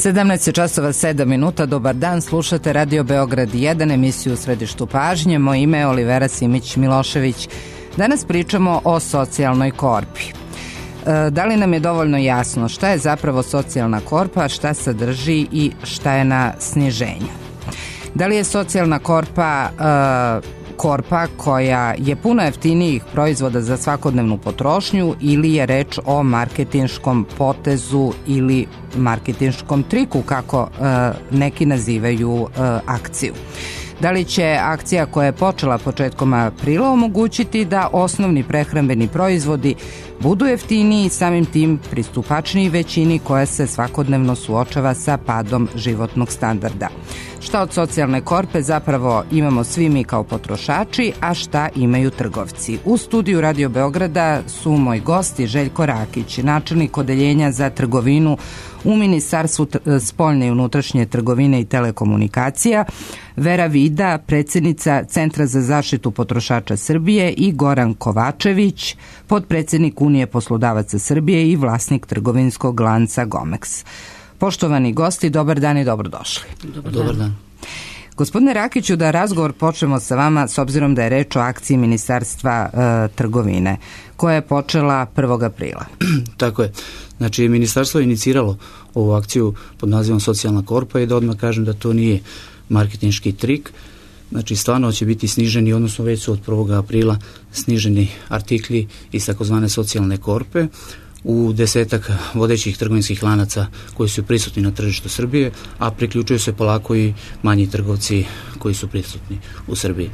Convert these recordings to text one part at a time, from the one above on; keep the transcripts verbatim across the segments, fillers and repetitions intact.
sedamnaest časova sedam minuta, dobar dan, slušate Radio Beograd jedan, emisiju u središtu pažnje. Moje ime je Olivera Simić-Milošević. Danas pričamo o socijalnoj korpi. E, da li nam je dovoljno jasno šta je zapravo socijalna korpa, šta sadrži i šta je na sniženju? Da li je socijalna korpa e, korpa koja je puno jeftinijih proizvoda za svakodnevnu potrošnju ili je reč o marketinškom potezu ili marketinškom triku, kako e, neki nazivaju e, akciju? Da li će akcija koja je počela početkom aprila omogućiti da osnovni prehrambeni proizvodi budu jeftiniji i samim tim pristupačniji većini koja se svakodnevno suočava sa padom životnog standarda? Šta od socijalne korpe zapravo imamo svi mi kao potrošači, a šta imaju trgovci? U studiju Radio Beograda su moji gosti Željko Rakić, načelnik odeljenja za trgovinu u Ministarstvu spoljne i unutrašnje trgovine i telekomunikacija, Vera Vida, predsjednica Centra za zaštitu potrošača Srbije, i Goran Kovačević, potpredsjednik Unije poslodavaca Srbije i vlasnik trgovinskog lanca Gomex. Poštovani gosti, dobar dan i dobrodošli. Dobar dan. Dobar dan. Gospodine Rakiću, da razgovor počnemo sa vama s obzirom da je reč o akciji Ministarstva e, trgovine koja je počela prvog aprila. Tako je. Znači, Ministarstvo je iniciralo ovu akciju pod nazivom Socijalna korpa i da odmah kažem da to nije marketinški trik. Znači, stvarno će biti sniženi, odnosno već su od prvog aprila sniženi artikli iz takozvane socijalne korpe u desetak vodećih trgovinskih lanaca koji su prisutni na tržištu Srbije, a priključuju se polako i manji trgovci koji su prisutni u Srbiji.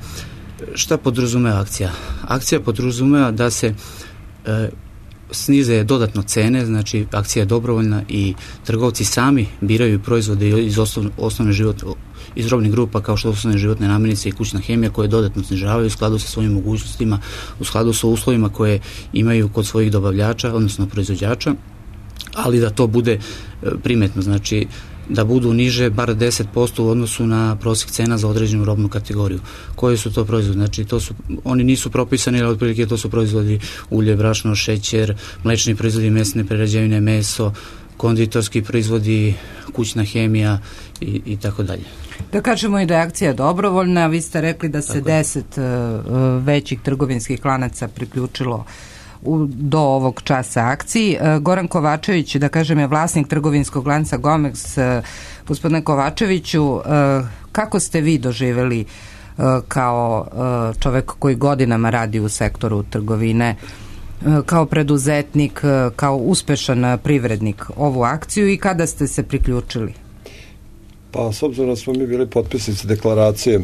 Šta podrazumeva akcija? Akcija podrazumeva da se e, snize dodatno cene, znači akcija je dobrovoljna i trgovci sami biraju proizvode iz osnovne, osnovne život, iz robnih grupa kao što su osnovne životne namirnice i kućna hemija, koje dodatno snižavaju u skladu sa svojim mogućnostima, u skladu sa uslovima koje imaju kod svojih dobavljača, odnosno proizvođača, ali da to bude primetno, znači da budu niže bar deset posto u odnosu na prosjek cena za određenu robnu kategoriju. Koji su to proizvodi? Znači, to su, oni nisu propisani, ali otprilike to su proizvodi ulje, brašno, šećer, mlečni proizvodi, mesne prerađevine, meso, konditorski proizvodi, kućna hemija i, i tako dalje. Da kažemo i da je akcija dobrovoljna, vi ste rekli da se tako deset uh, većih trgovinskih lanaca priključilo u, do ovog časa akciji. Uh, Goran Kovačević, da kažem, je vlasnik trgovinskog lanca Gomex. Uh, gospodine Kovačeviću, uh, kako ste vi doživjeli uh, kao uh, čovek koji godinama radi u sektoru trgovine, uh, kao preduzetnik, uh, kao uspešan privrednik, ovu akciju i kada ste se priključili? Pa, s obzirom da smo mi bili potpisnici deklaracije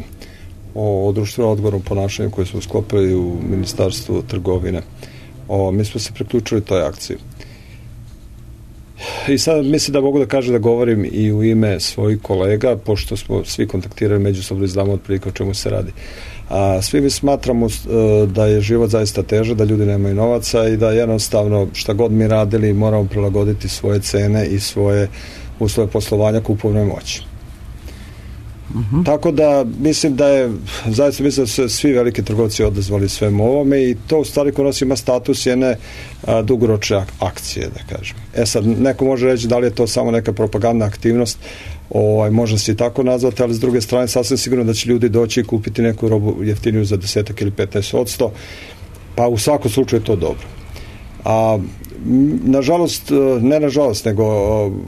o, o društvenom odgovornom ponašanju koje smo sklopili u Ministarstvu trgovine, o, mi smo se priključili toj akciji. I sad mislim da mogu da kažem da govorim i u ime svojih kolega, pošto smo svi kontaktirali međusobno i znamo otprilike o čemu se radi. A svi mi smatramo da je život zaista težak, da ljudi nemaju novaca i da jednostavno šta god mi radili moramo prilagoditi svoje cene i svoje uslove poslovanja kupovne moći. Uh-huh. Tako da mislim da je zaista mislim da su svi veliki trgovci odazvali svemu ovome i to u stvari kod nas ima status jedne a, dugoročne ak- akcije, da kažem. E sad, neko može reći da li je to samo neka propagandna aktivnost, ovaj, može se i tako nazvati, ali s druge strane sasvim sigurno da će ljudi doći i kupiti neku robu jeftiniju za desetak ili petnaest posto, pa u svakom slučaju je to dobro. A nažalost, ne nažalost, nego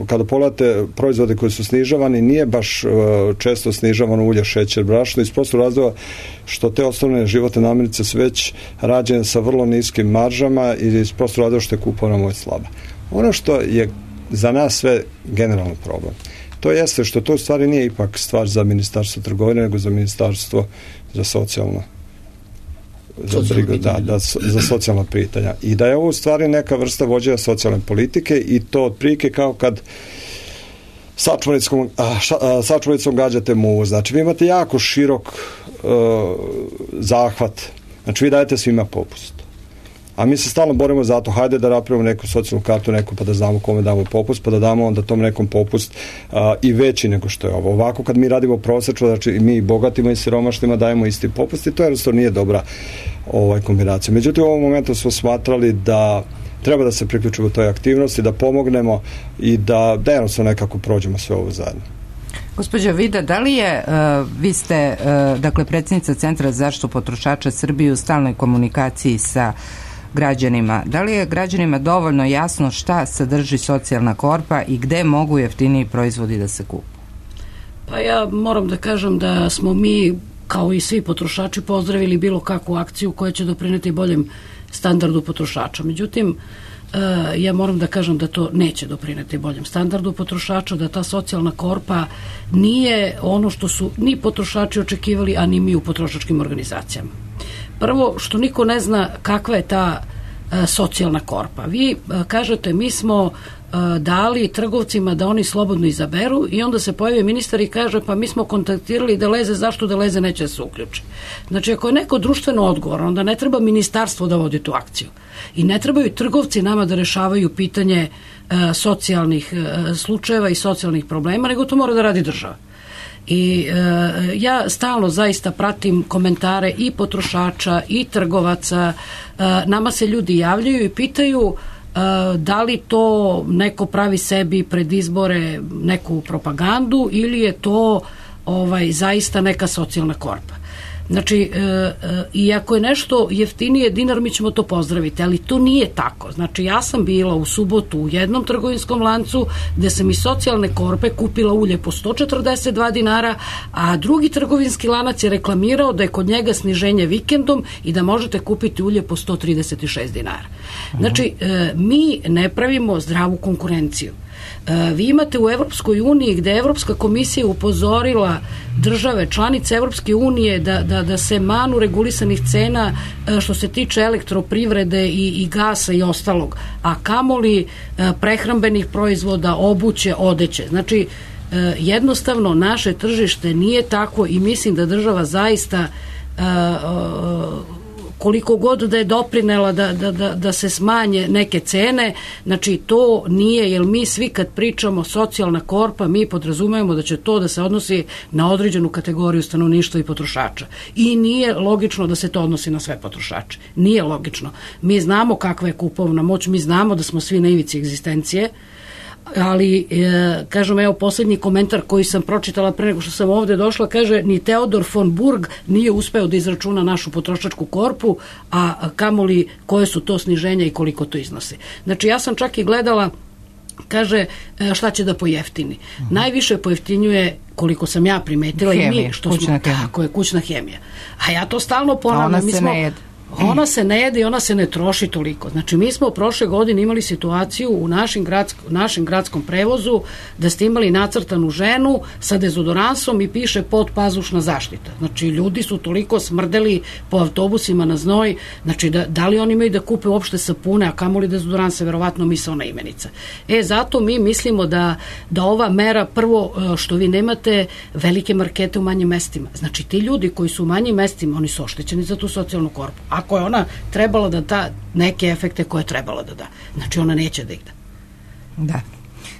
kada pogledate proizvode koji su snižavani, nije baš često snižavano ulje, šećer, brašno, iz prostog razloga što te osnovne životne namirnice su već rađene sa vrlo niskim maržama i iz prostog razloga što je kupovna moć slaba. Ono što je za nas sve generalno problem, to jeste što to u stvari nije ipak stvar za Ministarstvo trgovine, nego za Ministarstvo za socijalno za brigu, da, da, za socijalna pitanja. I da je ovo u stvari neka vrsta vođenja socijalne politike i to otprilike kao kad sačmalicom, sačmalicom gađate muvu. Znači, vi imate jako širok uh, zahvat. Znači, vi dajete svima popust. A mi se stalno borimo za to, hajde da napravimo neku socijalnu kartu, neku pa da znamo kome damo popust, pa da damo onda tom nekom popust a, i veći nego što je ovo. Ovako kad mi radimo prosečno, znači mi bogatima i siromašnima dajemo isti popust i to jednostavno nije dobra ovaj, kombinacija. Međutim, u ovom momentu smo smatrali da treba da se priključimo u toj aktivnosti, da pomognemo i da, da jednostavno nekako prođemo sve ovo zajedno. Gospođa Vida, da li je, uh, vi ste, uh, dakle, predsjednica Centra za zaštitu potrošača Srbije u stalnoj komunikaciji sa građanima, da li je građanima dovoljno jasno šta sadrži socijalna korpa i gde mogu jeftiniji proizvodi da se kupu? Pa ja moram da kažem da smo mi, kao i svi potrošači, pozdravili bilo kakvu akciju koja će doprineti boljem standardu potrošača. Međutim, ja moram da kažem da to neće doprineti boljem standardu potrošača, da ta socijalna korpa nije ono što su ni potrošači očekivali, a ni mi u potrošačkim organizacijama. Prvo, što niko ne zna kakva je ta socijalna korpa. Vi kažete, mi smo dali trgovcima da oni slobodno izaberu i onda se pojavi ministar i kaže, pa mi smo kontaktirali Deleze, zašto Deleze neće da se uključi. Znači, ako je neko društveno odgovoran, onda ne treba ministarstvo da vodi tu akciju i ne trebaju trgovci nama da rešavaju pitanje e, socijalnih e, slučajeva i socijalnih problema, nego to mora da radi država. I e, ja stalno zaista pratim komentare i potrošača i trgovaca, e, nama se ljudi javljaju i pitaju da li to neko pravi sebi pred izbore neku propagandu ili je to ovaj zaista neka socijalna korpa. Znači, e, e, i ako je nešto jeftinije dinar, mi ćemo to pozdraviti, ali to nije tako. Znači, ja sam bila u subotu u jednom trgovinskom lancu gde sam iz socijalne korpe kupila ulje po sto četrdeset dva dinara, a drugi trgovinski lanac je reklamirao da je kod njega sniženje vikendom i da možete kupiti ulje po sto trideset šest dinara. Znači, e, mi ne pravimo zdravu konkurenciju. Vi imate u Evropskoj uniji gde je Evropska komisija upozorila države, članice Evropske unije da, da, da se manu regulisanih cena što se tiče elektroprivrede i, i gasa i ostalog, a kamoli prehrambenih proizvoda, obuće, odeće. Znači, jednostavno naše tržište nije tako i mislim da država zaista koliko god da je doprinela da, da, da, da se smanje neke cene, znači to nije, jer mi svi kad pričamo socijalna korpa, mi podrazumemo da će to da se odnosi na određenu kategoriju stanovništva i potrošača. I nije logično da se to odnosi na sve potrošače. Nije logično. Mi znamo kakva je kupovna moć, mi znamo da smo svi na ivici egzistencije, ali, e, kažem, evo posljednji komentar koji sam pročitala pre nego što sam ovde došla, kaže, ni Teodor von Burg nije uspeo da izračuna našu potrošačku korpu, a kamoli koje su to sniženja i koliko to iznosi. Znači, ja sam čak i gledala, kaže, šta će da pojeftini. Uh-huh. Najviše pojeftinjuje, koliko sam ja primetila, hemija, i mi, što smo, tako je, kućna hemija. A ja to stalno ponavljam. Ona mi se smo, ne jede. Ona se ne jede i ona se ne troši toliko. Znači, mi smo prošle godine imali situaciju u našim, gradsk, našem gradskom prevozu da ste imali nacrtanu ženu sa dezodoransom i piše podpazušna zaštita. Znači, ljudi su toliko smrdeli po autobusima na znoj, znači, da, da li oni imaju da kupe uopšte sapune, a kamoli dezodoranse, verovatno misaona imenica. E, zato mi mislimo da, da ova mera, prvo, što vi nemate velike markete u manjim mestima. Znači, ti ljudi koji su u manjim mestima, oni su oštećeni za tu socijalnu korpu. Ako je ona trebala da da neke efekte koje je trebala da da. Znači, ona neće da ih da. Da.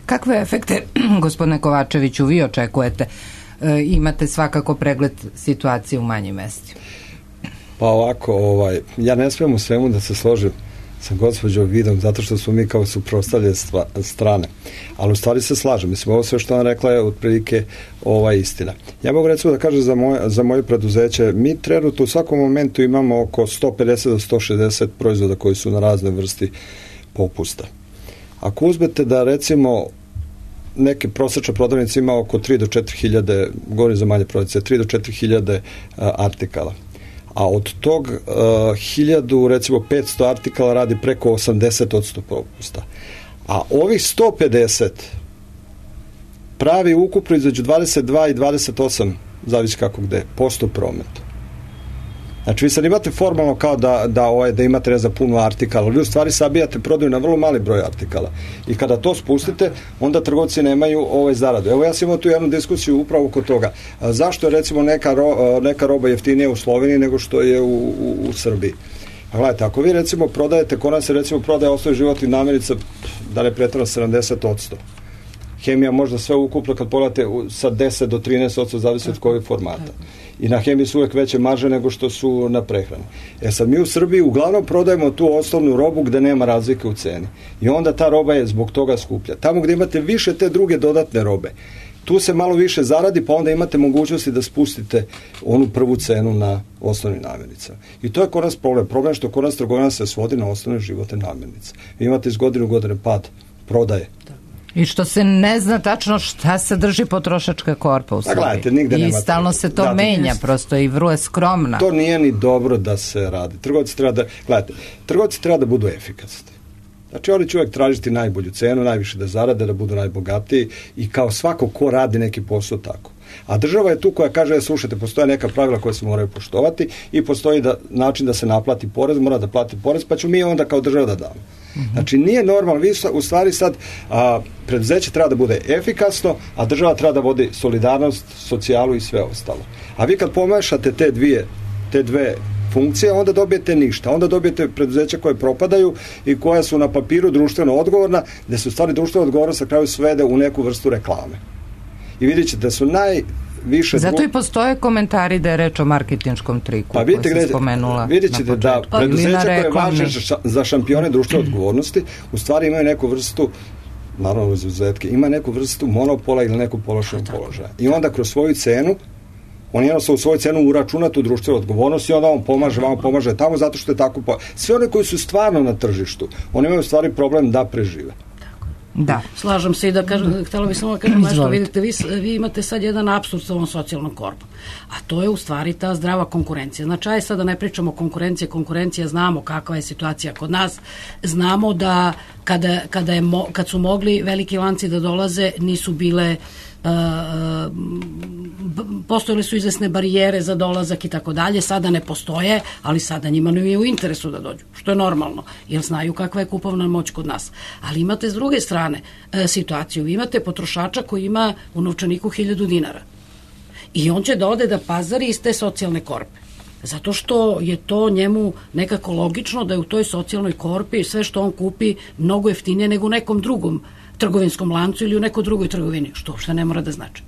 Kakve efekte, gospodine Kovačeviću, vi očekujete? E, imate svakako pregled situacije u manjim mestima. Pa ovako, ovaj, ja ne smijem u svemu da se složim sa gospođom Vidom, zato što smo mi kao suprotstavljene strane. Ali u stvari se slažem. Mislim, ovo sve što ona rekla je otprilike ova istina. Ja mogu recimo da kažem za moje, za moje preduzeće, mi trenutno u svakom momentu imamo oko sto pedeset do sto šezdeset proizvoda koji su na razne vrsti popusta. Ako uzmete da recimo neke prosečne prodavnice ima oko tri do četiri hiljade, govorim za manje prodavnice, tri do četiri hiljade artikala. A od tog uh, hiljadu, recimo petsto artikala radi preko osamdeset posto popusta. A ovih sto pedeset pravi ukupno između dvadeset dva i dvadeset osam, zavisi kako gde, posto prometa. Znači, vi sad imate formalno kao da, da, ovaj, da imate ne za puno artikala, ali vi u stvari sabijate prodaju na vrlo mali broj artikala. I kada to spustite, onda trgovci nemaju ovaj zaradu. Evo, ja sam imao tu jednu diskusiju upravo oko toga. A zašto je recimo neka, ro, neka roba jeftinija u Sloveniji nego što je u, u, u Srbiji? A gledajte, ako vi recimo prodajete, kod nas se recimo prodaje osnovni životnih namirnica, da ne pretjerano sedamdeset posto. Hemija možda sve ukupno kad pogledate sa deset do trinaest posto zavisi od kojeg formata. i na hemiji su uvek veće marže nego što su na prehrani. E sad mi u Srbiji uglavnom prodajemo tu osnovnu robu gde nema razlike u ceni. I onda ta roba je zbog toga skuplja. Tamo gde imate više te druge dodatne robe, tu se malo više zaradi, pa onda imate mogućnosti da spustite onu prvu cenu na osnovnim namirnicama. I to je kod nas problem. Problem je što kod nas trgovina se svodi na osnovne životne namirnice. Vi imate iz godine u godine pad prodaje. I što se ne zna tačno šta sadrži potrošačka korpa u Srbiji. Gledajte, nigde I nema stalno se to da, menja, jest. prosto i vrlo je skromna. To nije ni dobro da se radi. Trgovci treba da, gledajte, trgovci treba da budu efikasni. Znači oni će uvek tražiti najbolju cenu, najviše da zarade, da budu najbogatiji i kao svako ko radi neki posao tako. A država je tu koja kaže, slušajte, postoje neka pravila koje se moraju poštovati i postoji da, način da se naplati porez, mora da plati porez, pa ću mi onda kao država da damo. Mm-hmm. Znači nije normalno, vi u stvari sad a, preduzeće treba da bude efikasno, a država treba da vodi solidarnost, socijalu i sve ostalo. A vi kad pomešate te dvije, te dve funkcije, onda dobijete ništa. Onda dobijete preduzeća koje propadaju i koja su na papiru društveno odgovorna, gde se u stvari društveno odgovorno sa kraju svede u neku vrstu reklame. I vidjet ćete da su najviše... Zato i postoje komentari da je reč o marketinškom triku, pa vidite, koji se spomenula. Vidjet ćete da preduzeća koje važe za šampione društvene odgovornosti u stvari imaju neku vrstu, naravno uz izuzetke, ima neku vrstu monopola ili neku položajnog položaja. I onda kroz svoju cenu on jednostavno u svoju cenu uračuna tu društvenu odgovornost i onda on pomaže, vam pomaže tamo zato što je tako... Po... Sve one koji su stvarno na tržištu, oni imaju u stvari problem da prežive. Da. Slažem se i da kažem, htjela bih samo da kažem nešto, vidite, vi, vi imate sad jedan apsurd sa ovom socijalnom korpom, a to je u stvari ta zdrava konkurencija. Znači, aj sad da ne pričamo o konkurencije, konkurencija, znamo kakva je situacija kod nas, znamo da kada, kada, je mo, kad su mogli veliki lanci da dolaze, nisu bile Uh, postojale su izvesne barijere za dolazak i tako dalje, sada ne postoje, ali sada njima ne je u interesu da dođu, što je normalno, jer znaju kakva je kupovna moć kod nas. Ali imate s druge strane uh, situaciju, vi imate potrošača koji ima u novčaniku hiljadu dinara i on će da ode da pazari iz te socijalne korpe. Zato što je to njemu nekako logično da je u toj socijalnoj korpi sve što on kupi mnogo jeftinije nego u nekom drugom trgovinskom lancu ili u nekoj drugoj trgovini, što uopšte ne mora da znači.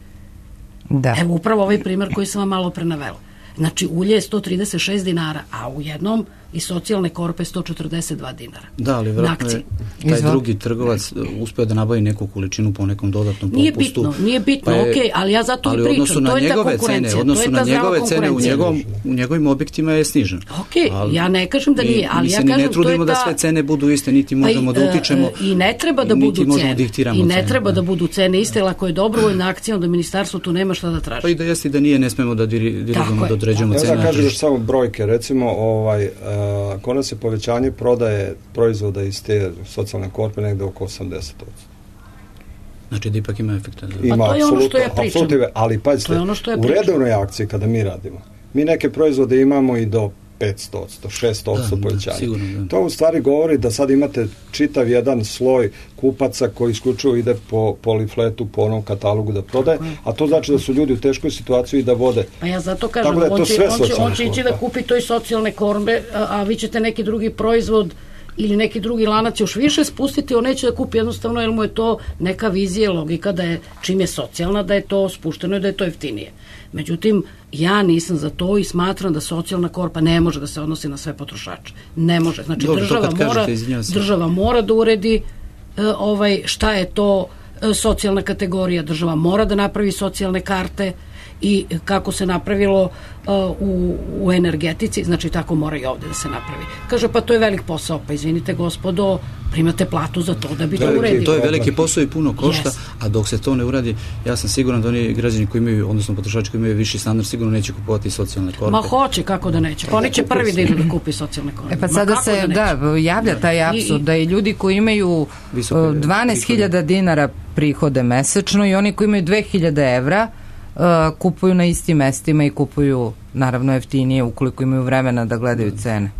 Da. Evo upravo ovaj primer koji sam vam malo pre navela. Znači ulje je sto trideset šest dinara, a u jednom i socijalne korpe sto četrdeset dva dinara. Da, ali vjerojatno je taj Izval. drugi trgovac uspio da nabavi neku količinu po nekom dodatnom popustu. Nije bitno, nije bitno, pa okej, okay, ali ja zato i pričam, to je ta konkurencija, cene, to je ta zdrava konkurencija. U, njegovom, u njegovim objektima je snižen. Okej, okay, ja ne kažem da nije, ali mi ja kažem to je ta... Mi se ne trudimo da sve cene budu iste, niti možemo pa, da utičemo, uh, i ne treba da budu cene, i ne cene, treba da budu cene iste, ako je dobrovoljna akcija, onda ministarstvo tu nema šta da traži. Pa i da jeste da nije, ne smemo da dirigujemo, da određujemo cene. Ja da kažem još samo brojke, recimo, ovaj, uh, kod nas je povećanje prodaje proizvoda iz te socijalne korpe negde oko osamdeset posto. Znači da ipak ima efekta. Ima, pa to je ono što ja pričam. Ali pazite, ono ja u redovnoj akciji kada mi radimo, mi neke proizvode imamo i do petsto, šesto povećanja. Sigurno, da. To u stvari govori da sad imate čitav jedan sloj kupaca koji isključivo ide po polifletu, po onom katalogu da prodaje, a to znači da su ljudi u teškoj situaciji i da vode. Pa ja zato kažem, da on, će, on, će, on će ići da kupi toj socijalne korbe, a, a vi ćete neki drugi proizvod ili neki drugi lanac još više spustiti, on neće da kupi jednostavno, jer mu je to neka vizija, logika da je, čim je socijalna, da je to spušteno i da je to jeftinije. Međutim, ja nisam za to i smatram da socijalna korpa ne može da se odnosi na sve potrošače. Ne može. Znači, Dobro, država, mora, kažete, država mora da uredi e, ovaj, šta je to e, socijalna kategorija. Država mora da napravi socijalne karte i kako se napravilo uh, u, u energetici, znači tako mora i ovde da se napravi. Kaže, pa to je velik posao, pa izvinite gospodo, primate platu za to da bi to, to uredili. To je veliki posao i puno košta, yes. A dok se to ne uradi, ja sam siguran da oni građani koji imaju, odnosno potrošači koji imaju viši standard, sigurno neće kupovati socijalne korpe. Ma hoće, kako da neće. Pa oni će prvi da idu da kupi socijalne korpe. E pa sada se, da, da, javlja taj apsurd, da i ljudi koji imaju dvanaest hiljada dinara prihode mesečno i oni koji imaju dve hiljade evra Uh, kupuju na istim mestima i kupuju naravno jeftinije ukoliko imaju vremena da gledaju cene.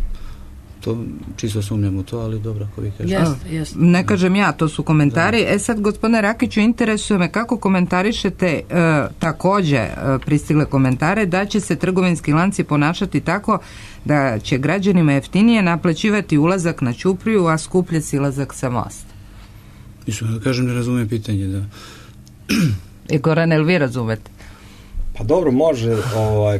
To čisto sumnjam u to, ali dobro, ako vi kažete. Jest, jest. Ne kažem ja, to su komentari. Da. E sad, gospodine Rakiću, interesuje me kako komentarišete uh, takođe uh, pristigle komentare da će se trgovinski lanci ponašati tako da će građanima jeftinije naplaćivati ulazak na Ćupriju, a skuplje silazak sa mosta. Mislim, da kažem, ne razumijem pitanje, da. I Goran, jel vi razumete? Pa dobro, može, ovaj,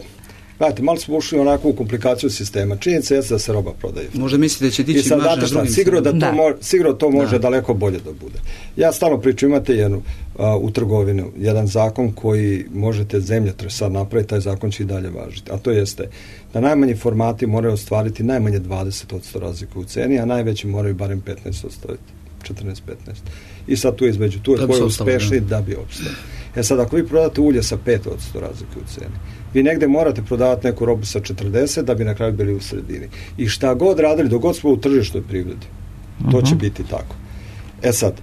Gledajte, malo smo ušli onako u komplikaciju sistema. Činjenica je da se roba prodaje. Možda mislite da će dići marže na drugim. Sigurno da to, da. Mo, sigurno to može da. daleko bolje da bude. Ja stalno pričam, imate jednu a, u trgovinu, jedan zakon koji možete zemljotres sad napraviti, taj zakon će i dalje važiti. A to jeste da najmanji formati moraju ostvariti najmanje dvadeset posto razliku u ceni, a najveći moraju barem petnaest ostvariti. četrnaest petnaest. I sad tu između, tu je ko je uspešni da bi opstao. E sad, ako vi prodate ulje sa pet posto razlike u ceni, vi negde morate prodavati neku robu sa četrdeset da bi na kraju bili u sredini. I šta god radili, dok god smo u tržišnoj privredi, to uh-huh. će biti tako. E sad,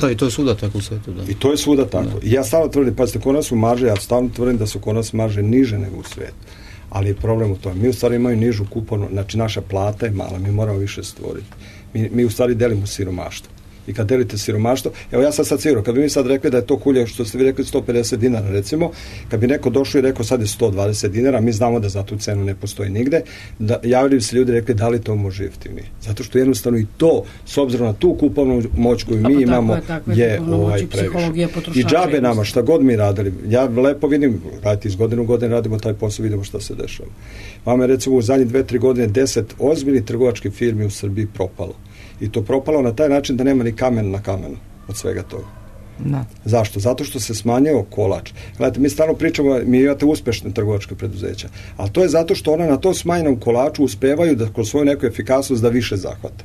da, i to je svuda tako u svetu, da. I to je svuda tako. Da. I ja stalno tvrdim, pazite, kod nas su marže, ja stalno tvrdim da su kod nas marže niže nego u svetu. Ali je problem u tome. Mi u stvari imaju nižu kupovnu, znači naša plata je mala, mi moramo više stvoriti. Mi, mi u stvari delimo siromaštvo. I kad delite siromaštvo, evo ja sam sad sigurno, kad bi mi sad rekli da je to kulje, što ste vi rekli sto pedeset dinara recimo, kad bi neko došao i rekao sad je sto dvadeset dinara, mi znamo da za tu cenu ne postoji nigde, da, javili bi se ljudi rekli da li to može jeftinije. Zato što jednostavno i to, s obzirom na tu kupovnu moć koju mi imamo, je, je ovaj previše. I džabe nama, šta god mi radili, ja lepo vidim, radite iz godine u godine radimo taj posao, vidimo šta se dešava. Vama je recimo u zadnjih dve, tri godine deset ozbiljnih trgovačkih firmi u Srbiji propalo. I to propalo na taj način da nema ni kamen na kamenu od svega toga. Da. Zašto? Zato što se smanjio kolač. Gledajte, mi stalno pričamo, mi imate uspešne trgovačke preduzeća, ali to je zato što one na tom smanjenom kolaču uspevaju da kroz svoju neku efikasnost da više zahvata.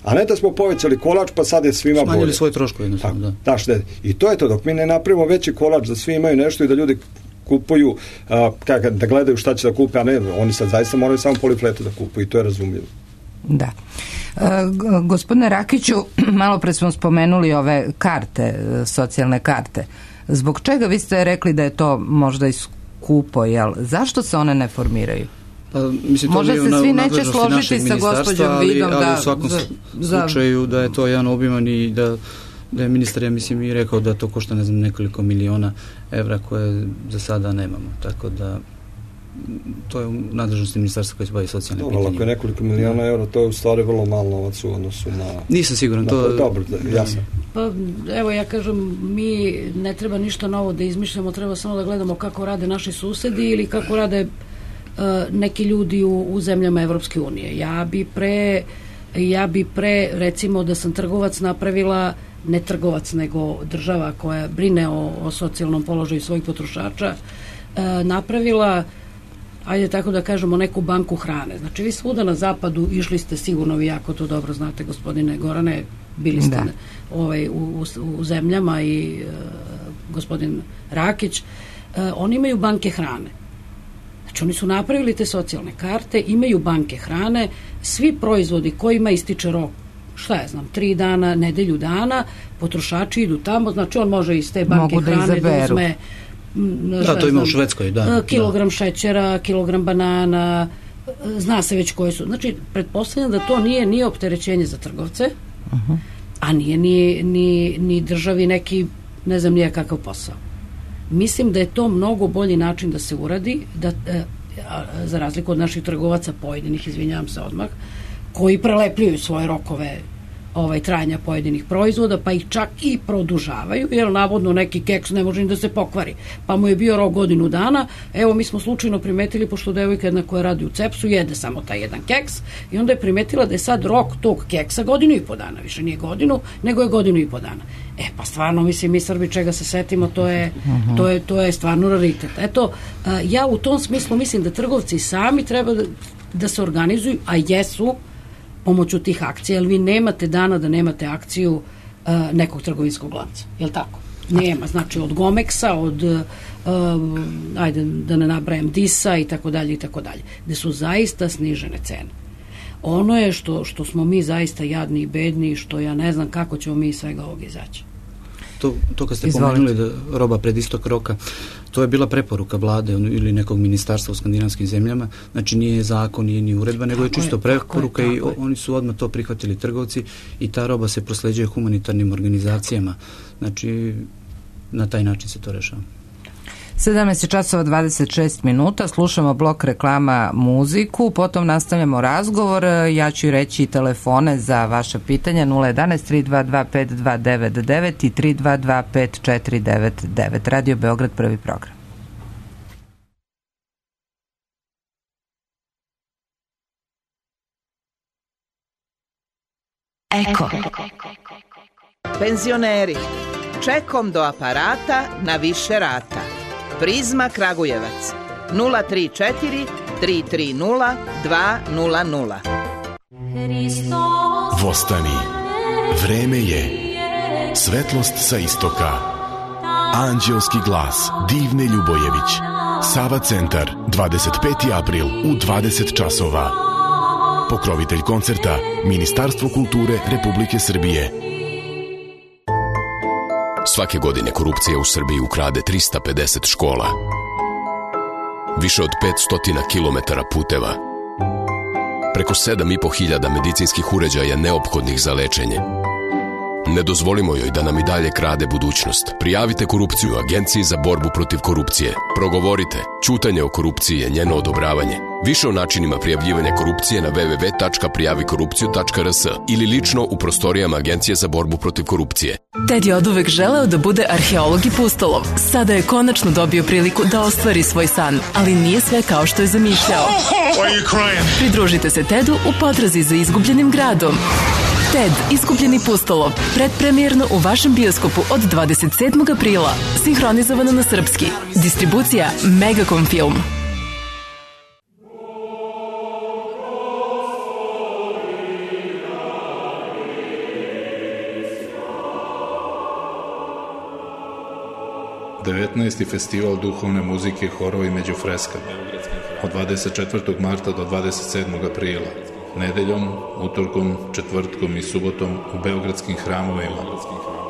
A ne da smo povećali kolač pa sad je svima bolje. Smanjili svoje troškove. Da. Da, šta je. I to je to, dok mi ne napravimo veći kolač da svi imaju nešto i da ljudi kupuju, a, kak, da gledaju šta će da kupe, a ne, oni sad zaista moraju samo polifletu da kupuju i to je razumljivo. Da. E, gospodine Rakiću, malo pre smo spomenuli ove karte, socijalne karte. Zbog čega vi ste rekli da je to možda i skupo, jel? Zašto se one ne formiraju? Pa, mislim, možda se svi neće složiti sa gospođom Vidom ali, ali da... u svakom za, slučaju da je to jedan obiman i da, da je ministar, ja mislim, i rekao da to košta, ne znam, nekoliko miliona evra koje za sada nemamo. Tako da to je u nadležnosti ministarstva koje se bavi socijalnim pitanjima. Ako je nekoliko miliona eura, to je u stvari vrlo malo novac u odnosu na... Nisam siguran, to je... Dobro, jasno. Pa, evo, ja kažem, mi ne treba ništa novo da izmišljamo, treba samo da gledamo kako rade naši susedi ili kako rade uh, neki ljudi u, u zemljama Evropske unije. Ja bi pre, ja bi pre, recimo, da sam trgovac napravila, ne trgovac, nego država koja brine o, o socijalnom položaju svojih potrošača, uh, napravila, ajde tako da kažemo, neku banku hrane. Znači, vi svuda na zapadu išli ste, sigurno vi jako to dobro znate, gospodine Gorane, bili ste ovaj, u, u, u zemljama i uh, gospodin Rakić, uh, oni imaju banke hrane. Znači, oni su napravili te socijalne karte, imaju banke hrane, svi proizvodi kojima ističe rok, šta ja znam, tri dana, nedelju dana, potrošači idu tamo, znači on može iz te banke mogu hrane da, da uzme da, to ima u Švedskoj, da. Kilogram da. šećera, kilogram banana, zna se već koji su. Znači, pretpostavljam da to nije ni opterećenje za trgovce, uh-huh. a nije ni, ni, ni državi neki, ne znam nije kakav posao. Mislim da je to mnogo bolji način da se uradi, da, e, za razliku od naših trgovaca pojedinih, izvinjavam se odmah, koji prelepljuju svoje rokove ovaj, trajanja pojedinih proizvoda, pa ih čak i produžavaju, jer navodno neki keks ne može ni da se pokvari. Pa mu je bio rok godinu dana, evo mi smo slučajno primetili, pošto devojka jedna koja radi u Cepsu jede samo taj jedan keks, i onda je primetila da je sad rok tog keksa godinu i po dana, više nije godinu, nego je godinu i po dana. E pa stvarno, mislim, mi Srbi čega se setimo, to je, uh-huh. to je, to je stvarno raritet. Eto, ja u tom smislu mislim da trgovci sami treba da, da se organizuju, a jesu, pomoću tih akcija, jer vi nemate dana da nemate akciju uh, nekog trgovinskog lanca. Je li tako? Nema. Znači, od Gomeksa, od uh, ajde da ne nabrajam Disa i tako dalje i tako dalje. Gde su zaista snižene cene. Ono je što, što smo mi zaista jadni i bedni, što ja ne znam kako ćemo mi iz svega ovog izaći. To, to kad ste Izvolite. pomenuli da roba pred istok roka, to je bila preporuka vlade ili nekog ministarstva u skandinavskim zemljama, znači nije zakon, nije ni uredba, nego tako je čisto je, preporuka je, i o, oni su odmah to prihvatili trgovci i ta roba se prosleđuje humanitarnim organizacijama, znači na taj način se to rešava. sedamnaest časova dvadeset šest minuta, slušamo blok reklama muziku, potom nastavljamo razgovor, ja ću reći telefone za vaša pitanja nula jedanaest tri dva dva pet dva devet devet i tri dva dva pet četiri devet devet. Radio Beograd, prvi program. Eko. Penzioneri, čekom do aparata na više rata. Prizma Kragujevac nula tri četiri tri tri nula dva nula nula. Vostani, vreme je, svetlost sa istoka, anđelski glas Divne Ljubojević, Sava centar, dvadeset peti april u dvadeset časova. Pokrovitelj koncerta Ministarstvo kulture Republike Srbije. Svake godine korupcija u Srbiji ukrade trista pedeset škola, više od petsto kilometara puteva, preko sedam i po hiljada medicinskih uređaja neophodnih za lečenje. Ne dozvolimo joj da nam i dalje krade budućnost. Prijavite korupciju Agenciji za borbu protiv korupcije. Progovorite. Ćutanje o korupciji je njeno odobravanje. Više o načinima prijavljivanja korupcije na w w w tačka prijavi korupciju tačka r s ili lično u prostorijama Agencije za borbu protiv korupcije. Ted je oduvek želeo da bude arheolog i pustolov. Sada je konačno dobio priliku da ostvari svoj san, ali nije sve kao što je zamišljao. Pridružite se Tedu u potrazi za izgubljenim gradom. Ted, izgubljeni pustolov, predpremijerno u vašem bioskopu od dvadeset sedmog aprila, sinhronizovano na srpski. Distribucija Megacom Film. devetnaesti festival duhovne muzike, horovi među freskama od dvadeset četvrtog marta do dvadeset sedmog aprila, nedeljom, utorkom, četvrtkom i subotom u beogradskim hramovima,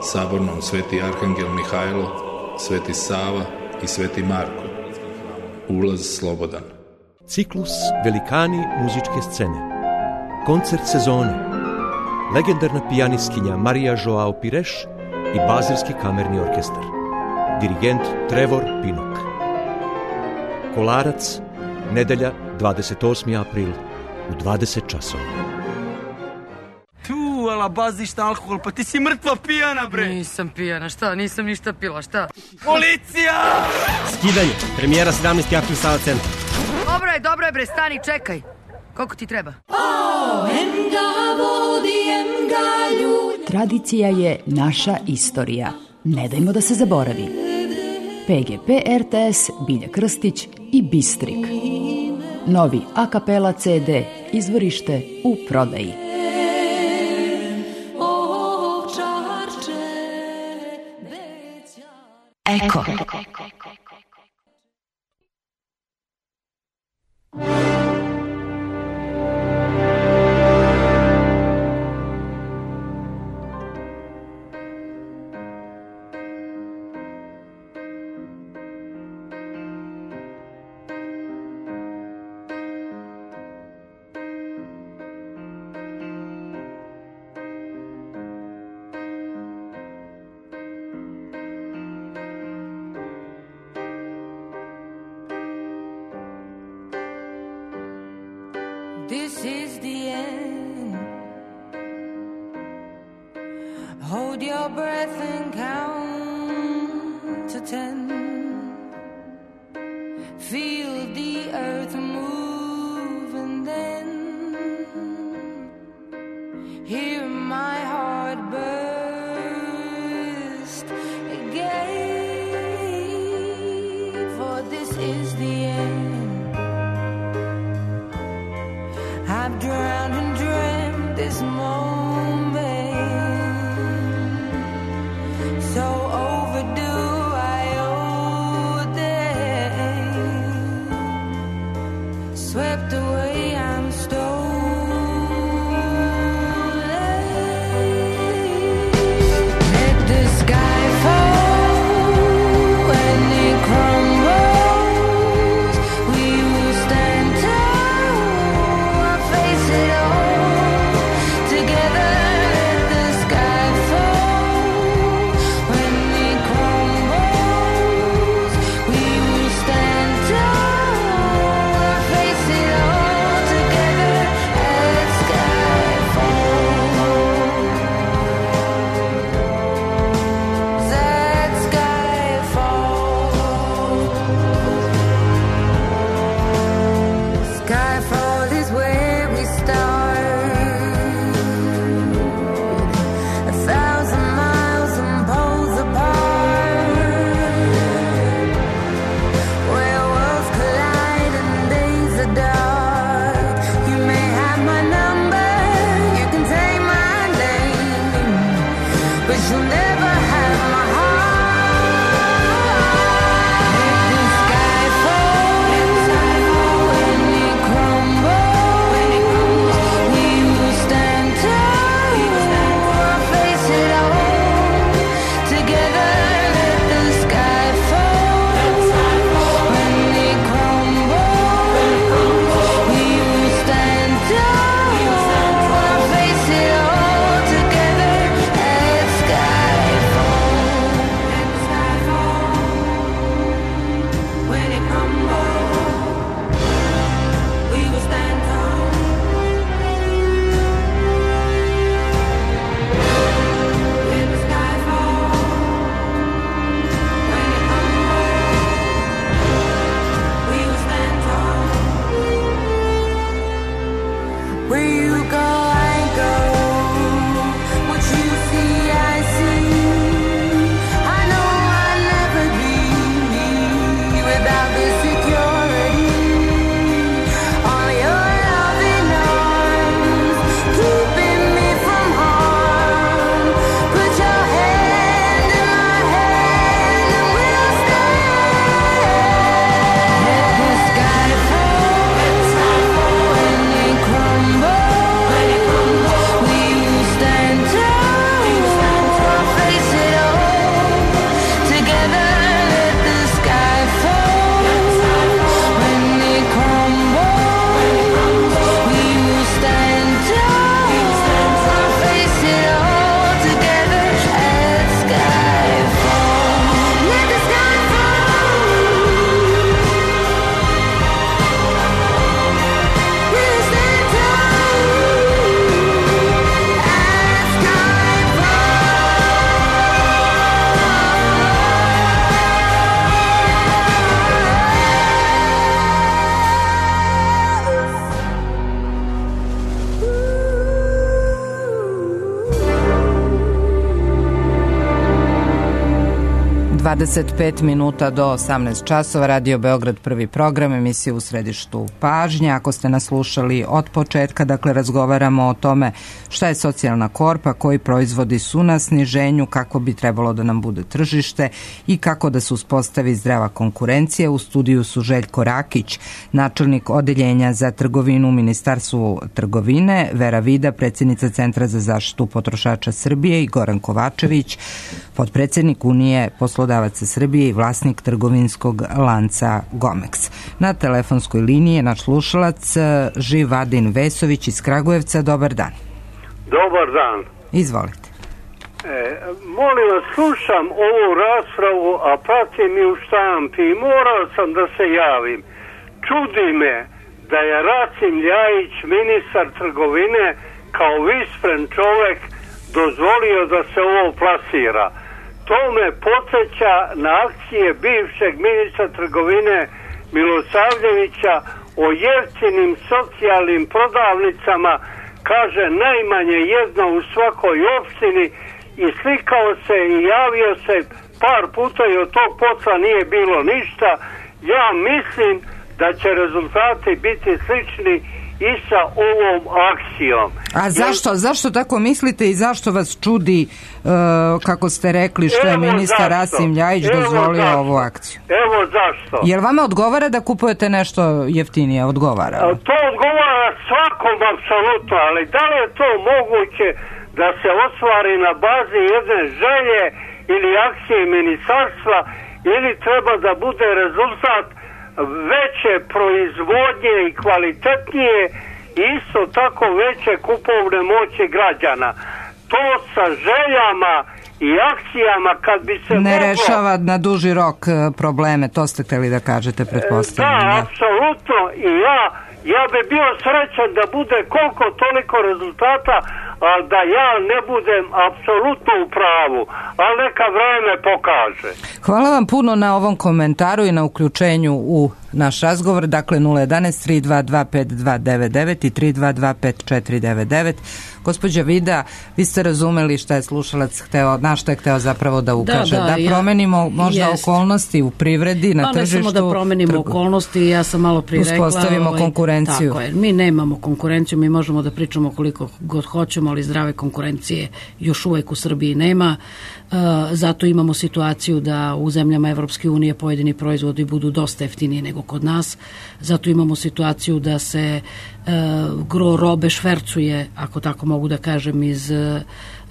Sabornom Sveti Arhangel Mihajlo, Sveti Sava i Sveti Marko. Ulaz slobodan. Ciklus Velikani muzičke scene. Koncert sezone. Legendarna pijanistkinja Marija Joao Pires i Bazilski kamerni orkestar. Dirigent Trevor Pinnock. Kolarac, nedelja, dvadeset osmi april u dvadeset časova. Tu, ala bazišta alkohol, pa ti si mrtva pijana, bre. Nisam pijana, šta? Nisam ništa pila, šta? Policija! Skidanje, premijera sedamnaesti april Sava centar. Dobro je, dobro je, bre, stani, čekaj. Koliko ti treba? Tradicija je naša istorija. Ne dajmo da se zaboravi. P G P R T S, Bilja Krstić i Bistrik. Novi a kapela C D, izvorište u prodaji. Eko. This is the end. Hold your breath and count to ten. Feel the earth move and then hear my heart burst again. For this is the end. I've drowned and dreamt this moment, so overdue I owe them. Swept away, I'm stolen. Let the sky fall and it crumbles. We will stand tall. Together dvadeset pet minuta do osamnaest časova, Radio Beograd, prvi program, emisija u središtu pažnje. Ako ste nas slušali od početka, dakle razgovaramo o tome šta je socijalna korpa, koji proizvodi su na sniženju, kako bi trebalo da nam bude tržište i kako da se uspostavi zdrava konkurencija. U studiju su Željko Rakić, načelnik odeljenja za trgovinu u Ministarstvu trgovine, Vera Vida, predsjednica Centra za zaštitu potrošača Srbije i Goran Kovačević, potpredsjednik Unije poslodavaca Srbije i vlasnik trgovinskog lanca Gomex. Na telefonskoj liniji je naš slušalac Živadin Vesović iz Kragujevca. Dobar dan. Dobar dan. Izvolite. E, molim vas, slušam ovu raspravu, a pratim i u štampi i morao sam da se javim. Čudi me da je Rasim Ljajić, ministar trgovine, kao vispren čovek dozvolio da se ovo plasira. To me podsjeća na akcije bivšeg ministra trgovine Milosavljevića o jeftinim socijalnim prodavnicama, kaže najmanje jedna u svakoj opštini, i slikao se i javio se par puta i od tog posla nije bilo ništa. Ja mislim da će rezultati biti slični i sa ovom akcijom. A zašto, Jer... zašto tako mislite i zašto vas čudi, uh, kako ste rekli, što je ministar Rasim Ljajić dozvolio zašto. ovu akciju? Evo zašto. Jer vama odgovara da kupujete nešto jeftinije? Odgovara? A, to odgovara svakom apsolutno, ali da li je to moguće da se ostvari na bazi jedne želje ili akcije ministarstva, ili treba da bude rezultat veće proizvodnje i kvalitetnije, isto tako veće kupovne moći građana. To sa željama i akcijama kad bi se ne moglo... rešava na duži rok probleme, to ste hteli da kažete, pretpostavljam. Da, apsolutno, i ja ja bi bio srećan da bude koliko toliko rezultata, a da ja ne budem apsolutno u pravu, ali neka vreme pokaže. Hvala vam puno na ovom komentaru i na uključenju u naš razgovor. Dakle, nula jedanaest tri dva dva pet dva devet devet i tri dva dva pet četiri devet devet. Gospođa Vida, vi ste razumeli šta je slušalac hteo, na šta je hteo zapravo da ukaže. Da, da, da promenimo ja, možda jest. okolnosti u privredi, na pa, tržištu. Pa ne samo da promenimo trgu. okolnosti, ja sam malo prije rekla. Uspostavimo ovaj, konkurenciju. Tako je, mi nemamo konkurenciju, mi možemo da pričamo koliko god hoćemo, ali zdrave konkurencije još uvek u Srbiji nema. Uh, zato imamo situaciju da u zemljama Evropske unije pojedini proizvodi budu dosta jeftiniji nego kod nas. Zato imamo situaciju da se uh, gro robe švercuje, ako tako mogu da kažem, iz uh,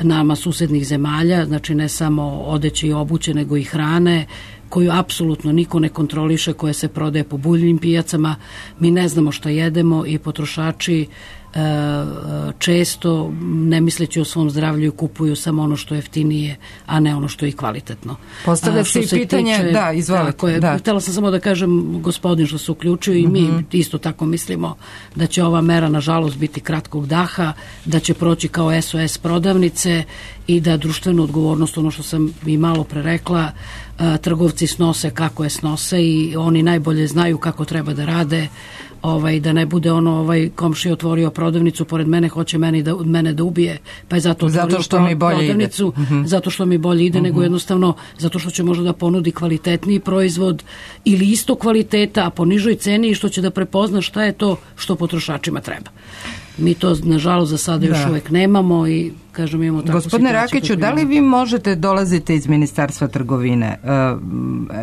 nama susednih zemalja, znači ne samo odeće i obuće, nego i hrane, koju apsolutno niko ne kontroliše, koje se prodaje po buljnim pijacama. Mi ne znamo šta jedemo i potrošači često, ne misleći o svom zdravlju, kupuju samo ono što je jeftinije, a ne ono što je kvalitetno. Postavlja se i pitanje, tiče, da, izvolite. Tako je, da. Htjela sam samo da kažem, gospodin što se uključio i mi mm-hmm. isto tako mislimo da će ova mera nažalost biti kratkog daha, da će proći kao S O S prodavnice i da društvenu odgovornost, ono što sam i malo pre rekla, trgovci snose kako je snose i oni najbolje znaju kako treba da rade. Ovaj, da ne bude ono, ovaj komšija otvorio prodavnicu pored mene, hoće meni da, mene da ubije, pa je zato otvorio zato što mi bolje prodavnicu, ide. Uh-huh. zato što mi bolje ide, uh-huh. nego jednostavno zato što će možda da ponudi kvalitetniji proizvod ili isto kvaliteta, a po nižoj ceni i što će da prepozna šta je to što potrošačima treba. Mi to, nažalost, za sada još da. uvek nemamo i, kažem, imamo takvu Gospodine situaciju. Rakiću, da li vi možete dolazite iz Ministarstva trgovine? Uh,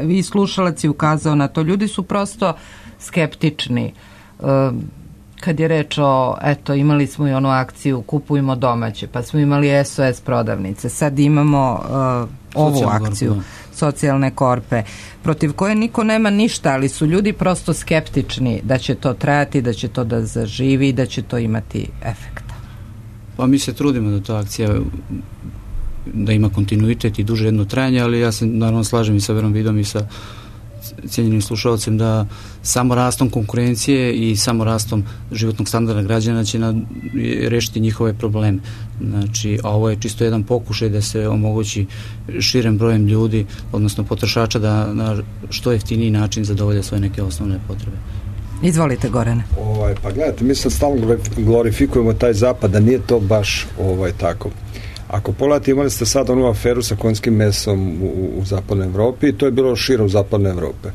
vi slušalac je ukazao na to. Ljudi su prosto skeptični. Uh, kad je reč o, eto, imali smo i onu akciju kupujmo domaće, pa smo imali S O S prodavnice, sad imamo uh, ovu Socijalne akciju korpe. Socijalne korpe, protiv koje niko nema ništa, ali su ljudi prosto skeptični da će to trajati, da će to da zaživi, da će to imati efekta. Pa mi se trudimo da ta akcija da ima kontinuitet i duže jedno trajanje, ali ja se naravno slažem i sa Verom Vidom i sa cijenjenim slušalcem da samo rastom konkurencije i samo rastom životnog standarda građana će na, rešiti njihove probleme. Znači, a ovo je čisto jedan pokušaj da se omogući širem brojem ljudi, odnosno potrošača, da na što jeftiniji način zadovolje svoje neke osnovne potrebe. Izvolite, Gorane. Ovaj, pa gledajte, mi sad stalno glorifikujemo taj zapad, da nije to baš ovaj, tako. Ako pogledate, imali ste sad onu aferu sa konjskim mesom u, u zapadnoj Evropi i to je bilo širom zapadne Evrope.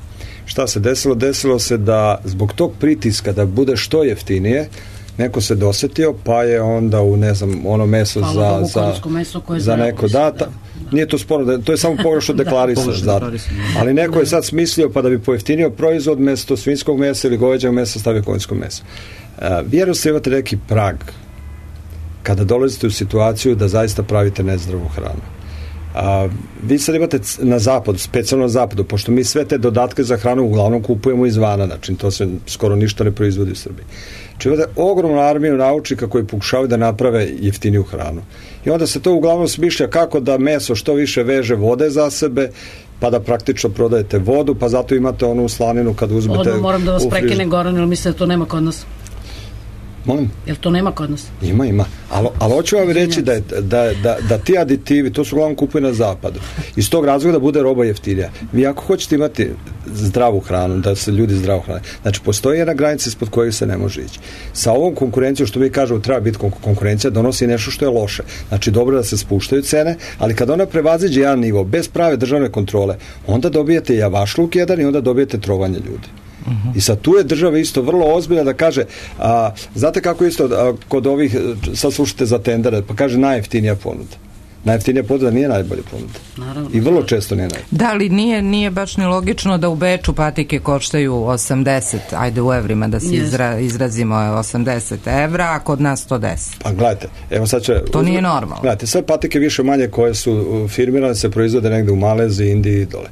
Šta se desilo? Desilo se da zbog tog pritiska da bude što jeftinije, neko se dosetio, pa je onda u, ne znam, ono meso Hvala za, za, meso koje za neko data. Nije to sporno, to je samo pogrešno deklarisaš. Ali neko je sad smislio pa da bi pojeftinio proizvod mesto svinjskog mesa ili goveđeg mesa stavio konjsko meso. Uh, vjerujte imate neki prag kada dolazite u situaciju da zaista pravite nezdravu hranu. A, vi sad imate na zapadu, specijalno na zapadu, pošto mi sve te dodatke za hranu uglavnom kupujemo izvana, znači to se skoro ništa ne proizvodi u Srbiji. Znači imate ogromnu armiju naučnika koji pokušavaju da naprave jeftiniju hranu. I onda se to uglavnom smišlja kako da meso što više veže vode za sebe, pa da praktično prodajete vodu, pa zato imate onu slaninu kad uzmete... Odmah moram da vas prekinem, Goran, jer mislim da to nema kod nas. Molim? Jel to nema kod nas? Ima, ima. Ali, ali hoću vam reći da, je, da, da, da ti aditivi, to su uglavnom kupuju na zapadu. Iz tog razloga da bude roba jeftinija. Vi ako hoćete imati zdravu hranu, da se ljudi zdravo hrane, znači postoji jedna granica ispod kojeg se ne može ići. Sa ovom konkurencijom, što mi kažemo, treba biti konkurencija, donosi nešto što je loše. Znači dobro da se spuštaju cene, ali kad ona prevaziđe jedan nivo, bez prave državne kontrole, onda dobijete javašluk jedan i onda dobijete trovanje ljudi. Uh-huh. I sad tu je država isto vrlo ozbiljna da kaže, a, znate kako isto a, kod ovih, sad slušate za tendere, pa kaže najjeftinija ponuda. Najjeftinija ponuda nije najbolja ponuda. Naravno. I vrlo često nije najbolja. Da, li nije, nije baš ni logično da u Beču patike koštaju osamdeset, ajde u evrima da se izra, izrazimo osamdeset evra, a kod nas sto deset. Pa gledajte, evo sad će... To nije normalno. Gledajte, sve patike više manje koje su firmirane se proizvode negde u Maleziji, Indiji i dole.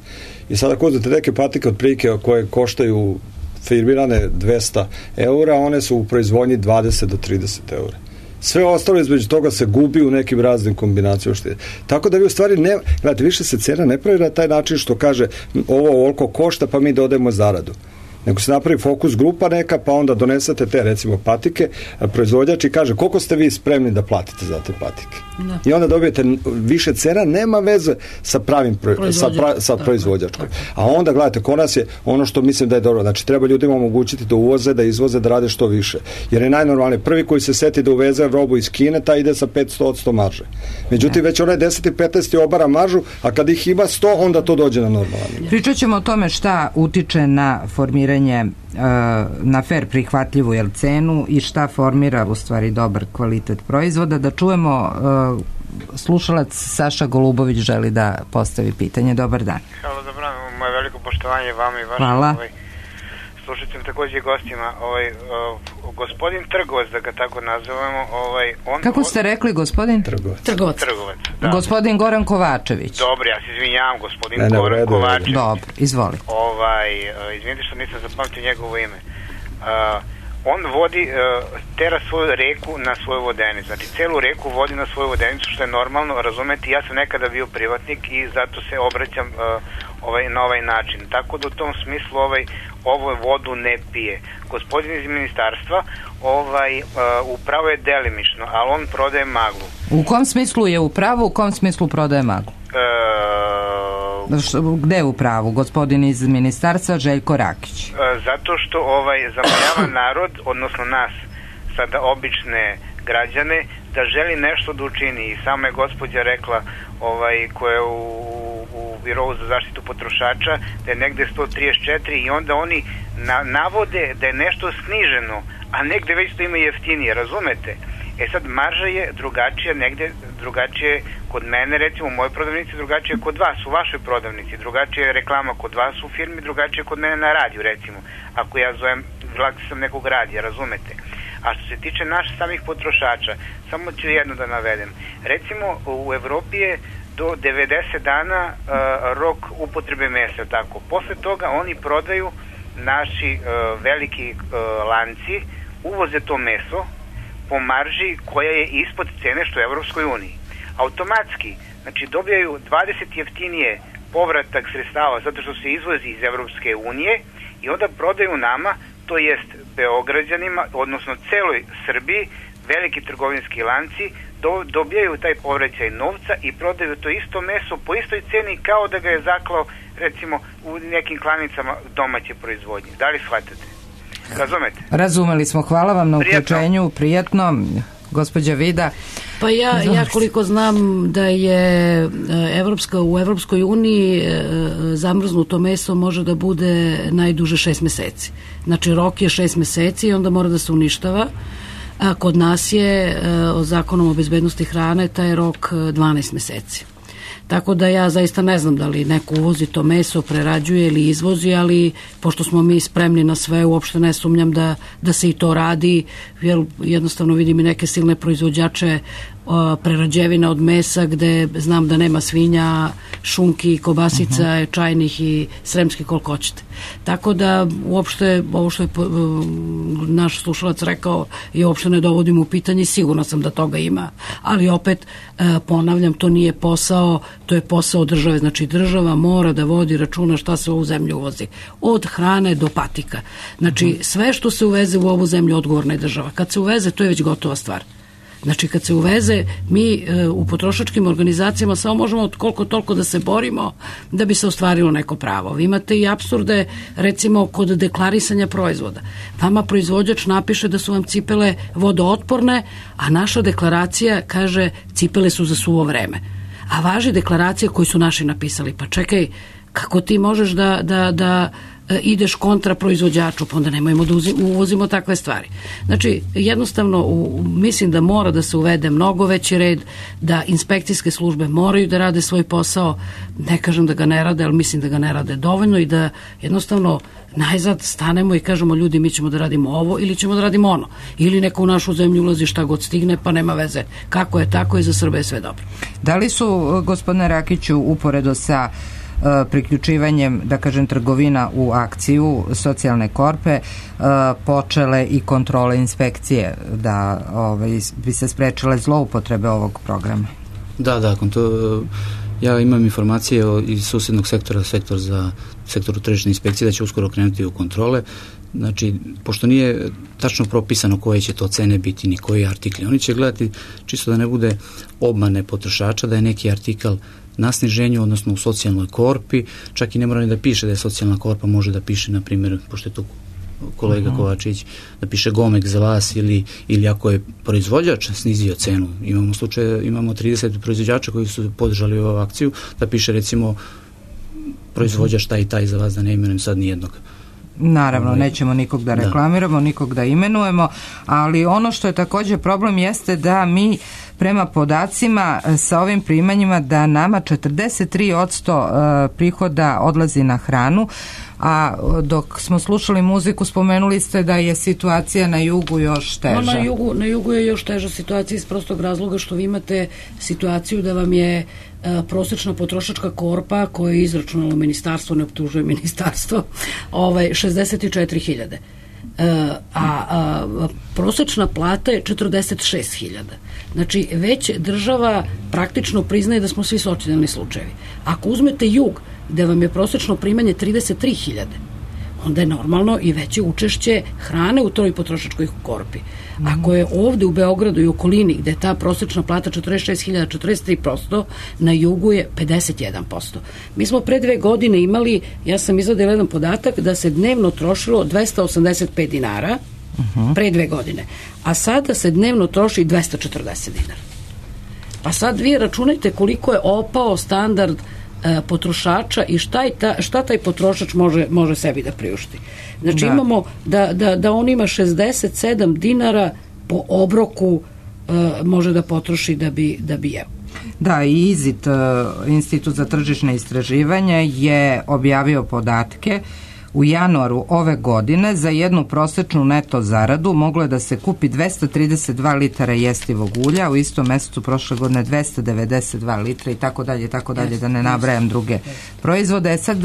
I sada ako uzmete neke patike od prilike koje koštaju firmirane dvesta eura, one su u proizvodnji dvadeset do trideset eura. Sve ostalo između toga se gubi u nekim raznim kombinacijama. Tako da vi u stvari ne, gledajte, više se cena ne pravi na taj način što kaže ovo ovoliko košta pa mi dodajemo zaradu. Nego se napravi fokus grupa neka, pa onda donesete te recimo patike, proizvođač i kaže koliko ste vi spremni da platite za te patike. Da. I onda dobijete više cena, nema veze sa pravim pro, sa, pra, sa proizvođačkom. A onda gledajte, kod nas je ono što mislim da je dobro, znači treba ljudima omogućiti da uvoze, da izvoze, da rade što više. Jer je najnormalnije, prvi koji se seti da uveze robu iz Kine, taj ide sa petsto posto marže. Međutim, ne. već onaj deset i petnaest obara maržu, a kad ih ima sto, onda to dođe na normalno. Pričat ćemo o tome šta utiče na formiranje na fer prihvatljivu jel cenu i šta formira u stvari dobar kvalitet proizvoda. Da čujemo, slušalac Saša Golubović želi da postavi pitanje. Dobar dan. Hvala, dobro, moje veliko poštovanje vama i vašim ovaj, slušateljima, takođe i gostima. Ovaj, uh, gospodin Trgovac, da ga tako nazovemo, ovaj, on... Kako ste rekli, gospodin? Trgovac. Trgovac. Trgovac, da. Gospodin Goran Kovačević. Dobro, ja se izvinjavam, gospodin ne, ne, Goran ne, Kovačević. Dobro, izvoli. Ovaj, uh, izvinite što nisam zapamtio njegovo ime. Uh, on vodi, uh, tera svoju reku na svoju vodenicu. Znači, celu reku vodi na svoju vodenicu, što je normalno, razumeti. Ja sam nekada bio privatnik i zato se obraćam uh, ovaj, na ovaj način. Tako da u tom smislu ovaj, ovo vodu ne pije. Gospodin iz ministarstva ovaj, uh, upravo je delimično, ali on prodaje maglu. U kom smislu je upravo, u kom smislu prodaje maglu? Uh, Gde je upravo? Gospodin iz ministarstva Željko Rakić. Uh, zato što ovaj, zamajava narod, odnosno nas, sada obične građane, da želi nešto da učini. I sama je gospođa rekla ovaj, koja je u, u Birovu za zaštitu potrošača da je negde sto trideset četiri i onda oni na, navode da je nešto sniženo, a negde već to ima jeftinije, razumete? E sad, marža je drugačija, negde drugačije kod mene, recimo u mojoj prodavnici, drugačije kod vas, u vašoj prodavnici, drugačije je reklama kod vas u firmi, drugačije kod mene na radiju, recimo, ako ja zovem, vlak sam nekog radija, razumete? A što se tiče naših samih potrošača, samo ću jedno da navedem. Recimo, u Evropi je do devedeset dana uh, rok upotrebe mesa, tako. Posle toga oni prodaju, naši uh, veliki uh, lanci, uvoze to meso, po marži koja je ispod cene što je u Evropskoj uniji. Automatski, znači dobijaju dvadeset jeftinije povratak sredstava zato što se izvozi iz Evropske unije i onda prodaju nama, to jest Beograđanima, odnosno celoj Srbiji, veliki trgovinski lanci do, dobijaju taj povraćaj novca i prodaju to isto meso po istoj ceni kao da ga je zaklao recimo u nekim klanicama domaće proizvodnje. Da li shvatate? Razumete? Razumeli smo, hvala vam na uključenju, prijatno, gospođa Vida. Pa ja, ja koliko znam da je Evropska, u Evropskoj uniji zamrznuto meso može da bude najduže šest meseci. Znači rok je šest meseci i onda mora da se uništava. A kod nas je o zakonom o bezbednosti hrane taj rok dvanaest meseci. Tako da ja zaista ne znam da li neko uvozi to meso, prerađuje ili izvozi, ali pošto smo mi spremni na sve, uopšte ne sumnjam da, da se i to radi, jer jednostavno vidim i neke silne proizvođače o, prerađevina od mesa gde znam da nema svinja, šunki, kobasica, uh-huh. čajnih i sremskih koliko hoćete. Tako da uopšte ovo što je po, naš slušalac rekao je uopšte ne dovodim u pitanje, sigurno sam da toga ima, ali opet ponavljam, to nije posao, to je posao države, znači država mora da vodi računa šta se u ovu zemlju uvozi, od hrane do patika, znači sve što se uveze u ovu zemlju odgovorna je država, kad se uveze to je već gotova stvar. Znači kad se uveze, mi e, u potrošačkim organizacijama samo možemo koliko toliko da se borimo da bi se ostvarilo neko pravo. Vi imate i apsurde, recimo kod deklarisanja proizvoda. Vama proizvođač napiše da su vam cipele vodootporne, a naša deklaracija kaže cipele su za suvo vreme. A važi deklaracija koju su naši napisali. Pa čekaj, kako ti možeš da, da, da ideš kontra proizvođaču, pa onda nemojmo da uvozimo takve stvari. Znači, jednostavno, u, mislim da mora da se uvede mnogo veći red, da inspekcijske službe moraju da rade svoj posao, ne kažem da ga ne rade, ali mislim da ga ne rade dovoljno i da jednostavno najzad stanemo i kažemo ljudi mi ćemo da radimo ovo ili ćemo da radimo ono. Ili neko u našu zemlju ulazi šta god stigne, pa nema veze. Kako je, tako je, za Srbe je sve dobro. Da li su, gospodine Rakiću, uporedo sa priključivanjem, da kažem, trgovina u akciju socijalne korpe počele i kontrole inspekcije da ovaj, bi se sprečile zloupotrebe ovog programa? Da, da, to, ja imam informacije iz susjednog sektora, sektor za sektoru tržišne inspekcije, da će uskoro krenuti u kontrole. Znači, pošto nije tačno propisano koje će to cene biti ni koji artikli, oni će gledati čisto da ne bude obmane potrošača, da je neki artikal na sniženju, odnosno u socijalnoj korpi, čak i ne mora ni da piše da je socijalna korpa, može da piše, na primjer, pošto je to kolega uh-huh. Kovačić, da piše Gomek za vas ili, ili ako je proizvođač snizio cenu. Imamo slučaje, imamo trideset proizvođača koji su podržali ovu akciju, da piše recimo proizvođač taj i taj za vas, da ne imenujem sad nijednog. Naravno, nećemo nikog da reklamiramo, da. nikog da imenujemo, ali ono što je također problem jeste da mi prema podacima sa ovim primanjima da nama četrdeset tri posto prihoda odlazi na hranu, a dok smo slušali muziku spomenuli ste da je situacija na jugu još teža. No, na, jugu, na jugu je još teža situacija iz prostog razloga što vi imate situaciju da vam je a, prosječna potrošačka korpa koja je izračunalo ministarstvo, ne optužuje ministarstvo, ovaj, šezdeset četiri hiljade. A, a, a prosječna plata je četrdeset šest hiljada. Znači, već država praktično priznaje da smo svi socijalni slučajevi. Ako uzmete jug, gde vam je prosječno primanje trideset tri hiljade, onda je normalno i veće učešće hrane u toj potrošačkoj korpi. Ako je ovde u Beogradu i okolini, gde je ta prosječna plata četrdeset šest hiljada, četrdeset tri posto, na jugu je pedeset jedan posto. Mi smo pre dve godine imali, ja sam izvadila jedan podatak, da se dnevno trošilo dvesta osamdeset pet dinara, uh-huh. pre dve godine, a sada se dnevno troši dvesta četrdeset dinara. Pa sad vi računajte koliko je opao standard potrošača i šta, je ta, šta taj potrošač može, može sebi da priušti. Znači da. imamo da, da, da on ima šezdeset sedam dinara po obroku uh, može da potroši da bi, da bi jeo. Da, i IZIT, uh, Institut za tržišne istraživanja, je objavio podatke. U januaru ove godine za jednu prosečnu neto zaradu moglo je da se kupi dvesta trideset dva litara jestivog ulja, u istom mesecu prošle godine dvesta devedeset dva litra i tako dalje, tako dalje, da ne nabrajam druge proizvode. Sad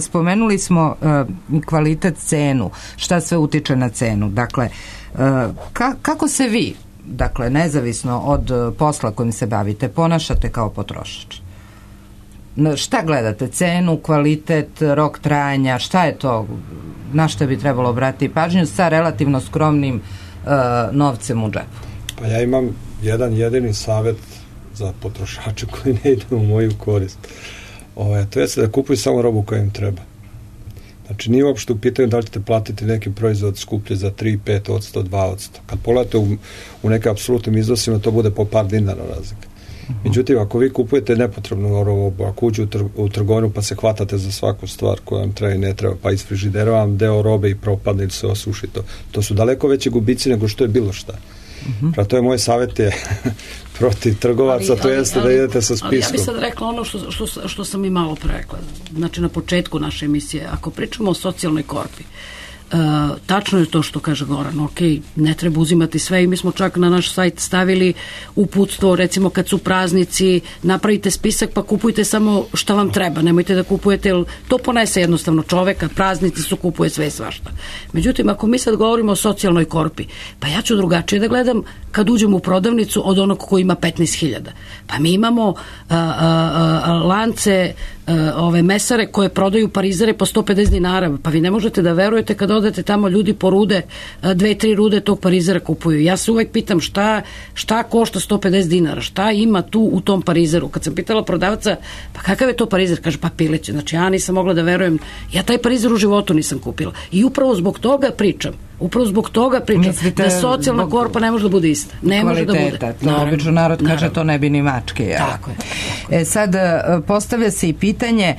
spomenuli smo uh, kvalitet, cenu, šta sve utiče na cenu. Dakle, uh, ka, kako se vi, dakle, nezavisno od posla kojim se bavite, ponašate kao potrošač? Šta gledate? Cenu, kvalitet, rok trajanja, šta je to? Na šta bi trebalo obratiti pažnju sa relativno skromnim uh, novcem u džepu? Pa ja imam jedan jedini savjet za potrošače koji ne ide u moju korist. Ove, to je da kupuju samo robu koja im treba. Znači nije uopšte u pitanju da li ćete platiti neki proizvod skuplje za tri, pet odsto, dva odsto. Kad pogledate u, u neke apsolutnim iznosima, to bude po par dinara razlika. Međutim, ako vi kupujete nepotrebnu robu, ako uđu u, tr u trgovinu pa se hvatate za svaku stvar koja vam treba i ne treba, pa iz frižidera vam deo robe i propadne ili se osuši, to, to su daleko veće gubici nego što je bilo šta. Mm-hmm. Pra to je moj savjet je protiv trgovaca, ali, to jeste ali, da idete sa spiskom. Ali ja bih sad rekla ono što, što, što sam i malo prerekla. Znači na početku naše emisije, ako pričamo o socijalnoj korpi, Uh, tačno je to što kaže Goran, ok, ne treba uzimati sve i mi smo čak na naš sajt stavili uputstvo, recimo kad su praznici, napravite spisak pa kupujte samo šta vam treba, nemojte da kupujete, jer to ponese jednostavno čoveka, praznici su, kupuje sve i svašta. Međutim, ako mi sad govorimo o socijalnoj korpi, pa ja ću drugačije da gledam kad uđem u prodavnicu od onog koji ima petnaest hiljada. Pa mi imamo uh, uh, uh, lance uh, ove mesare koje prodaju parizere po sto pedeset dinara, pa vi ne možete da verujete kad odete tamo, ljudi po rude, dve, tri rude tog parizera kupuju. Ja se uvek pitam šta, šta košta sto pedeset dinara, šta ima tu u tom parizeru. Kad sam pitala prodavca, pa kakav je to parizer? Kaže, pa pileće. Znači, ja nisam mogla da verujem, ja taj parizer u životu nisam kupila. I upravo zbog toga pričam. Upravo zbog toga pričam. Mislite, da socijalna zbog... korpa ne može da bude ista. Ne može da bude. To obično narod kaže, naravno. To ne bi ni mačke. Ja. Tako je. Tako je. E, sad, postavlja se i pitanje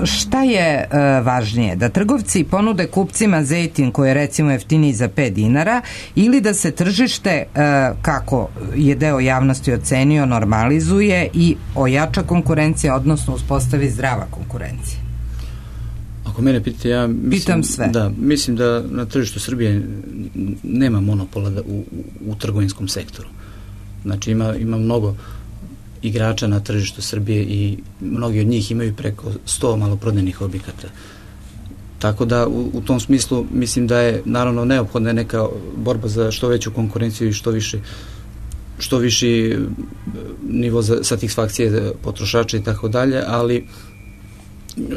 šta je važnije? Da trgovci ponude kupcima zejtin koji je recimo jeftiniji za pet dinara ili da se tržište, kako je deo javnosti ocenio, normalizuje i ojača konkurencija, odnosno uspostavi zdrava konkurencija? Ako mene pitate, ja mislim, Pitam sve. Da, mislim da na tržištu Srbije nema monopola da, u, u trgovinskom sektoru. Znači ima, ima mnogo igrača na tržištu Srbije i mnogi od njih imaju preko sto maloprodajnih objekata. Tako da u, u tom smislu mislim da je naravno neophodna neka borba za što veću konkurenciju i što više što viši nivo za satisfakcije potrošača i tako dalje, ali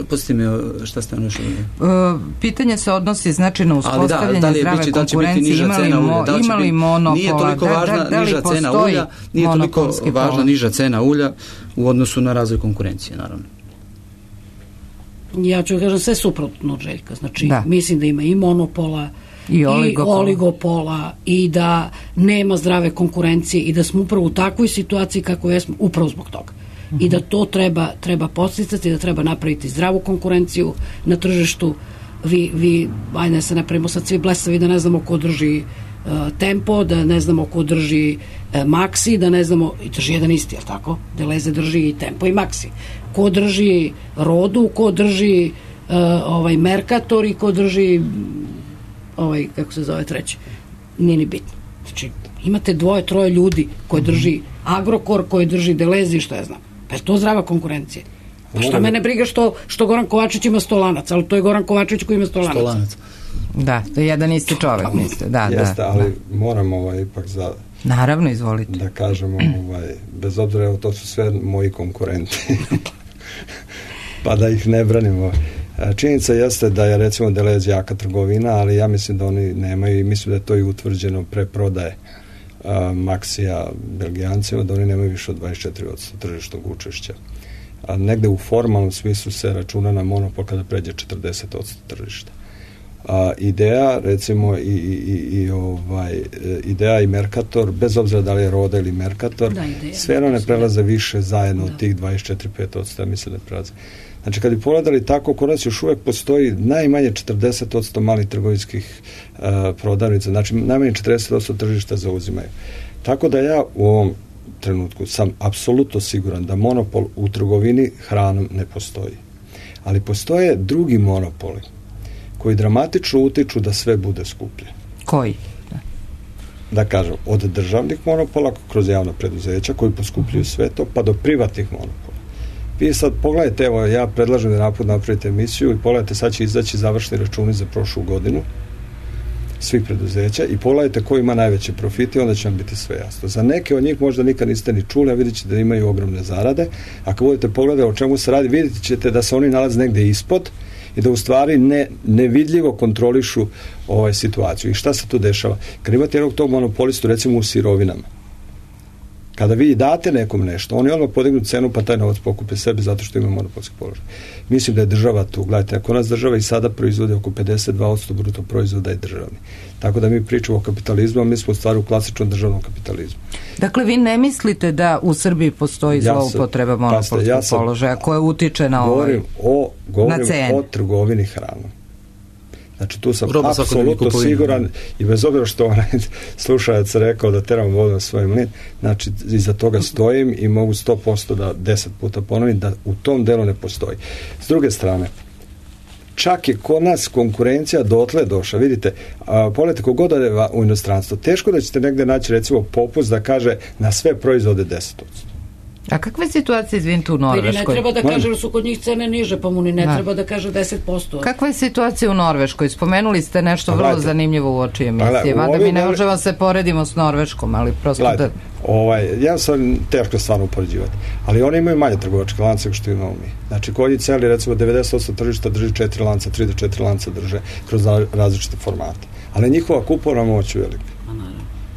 Pustite me, šta ste ono još? Uh, pitanje se odnosi znači na uspostavljanje da, da zdrave bići, konkurencije, da imali, mo, da imali monopola, nije toliko važna da, da, da niža cena ulja, nije toliko važna pola. niža cena ulja u odnosu na razvoj konkurencije, naravno. Ja ću kažem sve suprotno od Željka, znači da. Mislim da ima i monopola i oligopola. i oligopola i da nema zdrave konkurencije i da smo upravo u takvoj situaciji kako jesmo upravo zbog toga. Uh-huh. I da to treba, treba podsticati, da treba napraviti zdravu konkurenciju na tržištu. Vi, vi ajde se napravimo sad svi blesavi da ne znamo ko drži uh, Tempo, da ne znamo ko drži uh, Maxi, da ne znamo, i drži jedan isti, jel tako? Deleze drži i Tempo i Maxi. Ko drži Rodu, ko drži uh, ovaj Mercator i ko drži ovaj, kako se zove treći, nije ni bitno. Znači, imate dvoje, troje ljudi koji drži Agrokor, koji drži Delezi, što ja znam. Pa je to zdrava konkurencija. Pa šta mene briga što, što Goran Kovačić ima sto lanac, ali to je Goran Kovačić koji ima sto lanac. lanac. Da, to je jedan isti čovjek, mislite. Da, Jeste, da, ali da. moram ovaj, ipak za... Naravno, izvolite. Da kažemo, ovaj, bez obzira, evo, to su sve moji konkurenti. Pa da ih ne branimo. Činjenica jeste da je recimo Delez jaka trgovina, ali ja mislim da oni nemaju i mislim da je to i utvrđeno pre prodaje uh, Maxija Belgijancima, da oni nemaju više od dvadeset četiri posto tržišnog učešća. A negde u formalnom smislu se računa na monopol kada pređe četrdeset posto tržišta. A, ideja, recimo i, i, i ovaj, Ideja i Mercator, bez obzira da li je Roda ili Mercator, da, sve ono ne prelaze više zajedno da. Od tih dvadeset četiri do pet posto, ja mislim da ne prelaze. Znači, kad bi pogledali tako, kod nas još uvek postoji najmanje četrdeset posto malih trgovinskih uh, prodavnica, znači najmanje četrdeset posto tržišta zauzimaju. Tako da ja u ovom trenutku sam apsolutno siguran da monopol u trgovini hranom ne postoji. Ali postoje drugi monopoli koji dramatično utiču da sve bude skuplje. Koji? Da, da kažem, od državnih monopola kroz javna preduzeća koji poskupljuju sve to, pa do privatnih monopola. Vi sad pogledajte, evo ja predlažem da napod napravite emisiju i pogledajte, sad će izaći završni računi za prošlu godinu svih preduzeća i pogledajte ko ima najveće profite i onda će vam biti sve jasno. Za neke od njih možda nikad niste ni čuli, a vidjet ćete da imaju ogromne zarade. Ako budete pogledati o čemu se radi, vidjet ćete da se oni nalaze negde ispod i da u stvari ne, nevidljivo kontrolišu ovaj situaciju. I šta se tu dešava? Kad imate jednog tog monopolistu recimo u sirovinama, Kada vi date nekom nešto, oni odmah podignu cenu pa taj novac pokupe sebi zato što ima monopolski položaj. Mislim da je država tu. Gledajte, ako nas država i sada proizvode oko pedeset dva posto bruto proizvoda je državni. Tako da mi pričamo o kapitalizmu, a mi smo u stvari u klasičnom državnom kapitalizmu. Dakle, vi ne mislite da u Srbiji postoji ja zloupotreba monopolskog ja položaja koja utiče na govorim ovaj, o, govorim na cenu? o trgovini hranom. Znači tu sam Roba apsolutno siguran i bez obzira što onaj slušajac rekao da teram vodu na svoj mlin, znači iza toga stojim i mogu sto posto da deset puta ponovim da u tom delu ne postoji. S druge strane, čak je kod nas konkurencija dotle došla. Vidite, a, pogledajte kogod ode u inostranstvo, teško da ćete negde naći recimo popust da kaže na sve proizvode deset posto. A kakve situacije, izvinite, u Norveškoj? Ne treba da kaže da su kod njih cene niže, pa mu ni ne da. treba da kaže deset posto. Kakva je situacija u Norveškoj? Spomenuli ste nešto vrlo Gledajte. zanimljivo u oči emisije. Mada mi ne možemo se poredimo s Norveškom, ali prosto Gledajte. da... Ovaj, ja sam teško stvarno upoređivati, ali oni imaju manje trgovačke lance što imamo mi. Znači, kod njih celi, recimo, devedeset posto tržišta drži četiri lanca, tri do četiri lanca drže kroz različite formate. Ali njihova kupovna moć je velika.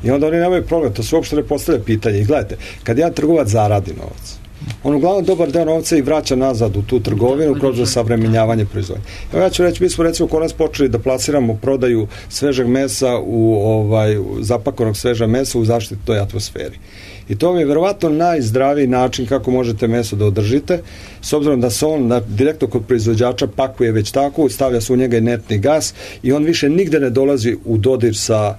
I onda oni nemaju problem, to se uopšte ne postavlja pitanje. I gledajte, kad jedan trgovac zaradi novac, on uglavnom dobar deo novca i vraća nazad u tu trgovinu kroz savremenjavanje proizvodnje. Evo ja ću reći, mi smo recimo kod nas počeli da plasiramo prodaju svežeg mesa u ovaj, zapakovanog sveža mesa u zaštitnoj atmosferi. I to mi je verovatno najzdraviji način kako možete meso da održite, s obzirom da se on na, direktno kod proizvođača pakuje već tako, stavlja se u njega inertni gas i on više nigde ne dolazi u dodir sa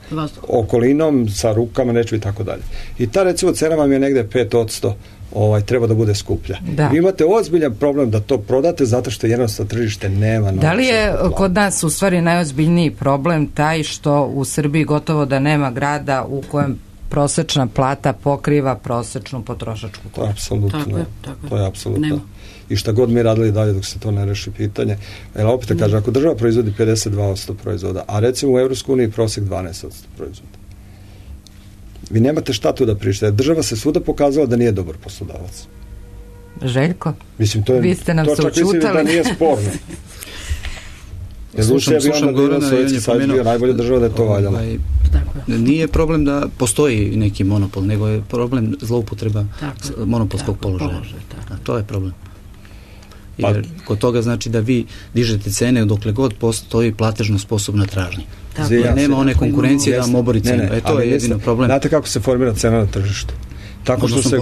okolinom, sa rukama, nečim i tako dalje. I ta recimo cena vam je negde pet posto ovaj, treba da bude skuplja. Da. Vi imate ozbiljan problem da to prodate zato što jednostavno tržište nema novca. Da li je kod nas u stvari najozbiljniji problem taj što u Srbiji gotovo da nema grada u kojem prosečna plata pokriva prosečnu potrošačku korpu? Apsolutno. Tako je, tako je. To je apsolutno. I šta god mi radili dalje dok se to ne reši pitanje. Jer opet te kaže, ako država proizvodi pedeset dva posto proizvoda, a recimo u Evropskoj uniji prosek dvanaest posto proizvoda, vi nemate šta tu da pričate. Država se svuda pokazala da nije dobar poslodavac. Željko, mislim, to je, vi ste nam to se čak učutali. Mislim da nije sporno. Jer slušam, slušam Gorana i on je pomenuo najbolja država da je to valjalo. Ovaj, nije problem da postoji neki monopol, nego je problem zloupotreba tako, monopolskog tako, položaja. Položaj, tako. A to je problem. Jer pa, kod toga znači da vi dižete cene dokle god postoji platežno sposobna tražnja. Tako, jer nema one konkurencije da vam obori cenu. E, to je jedino problem. Znate kako se formira cena na tržištu? Tako što se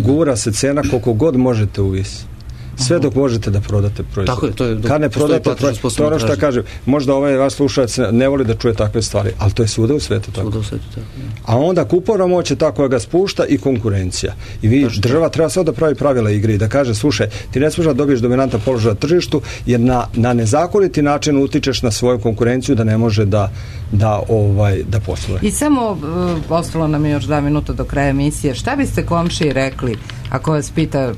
gura se cena koliko god možete uvisi. Sve dok možete da prodate proizvod. Tako je, to je, kad ne prodate proizvod, to ono što kažem, možda ovaj vaš slušalac ne voli da čuje takve stvari, ali to je svuda u svetu tako. Svuda u svetu tako. Ja. A onda kupovna moć je ta koja ga spušta i konkurencija. I vi, Tačno. država treba sve da pravi pravila igre i da kaže, slušaj, ti ne smiješ da dobiješ dominantan položaj na tržištu, jer na, na nezakoniti način utičeš na svoju konkurenciju da ne može da, da, ovaj, da posluje. I samo, uh, ostalo nam je još dva minuta do kraja emisije, šta biste komšiji rekli ako vas pita,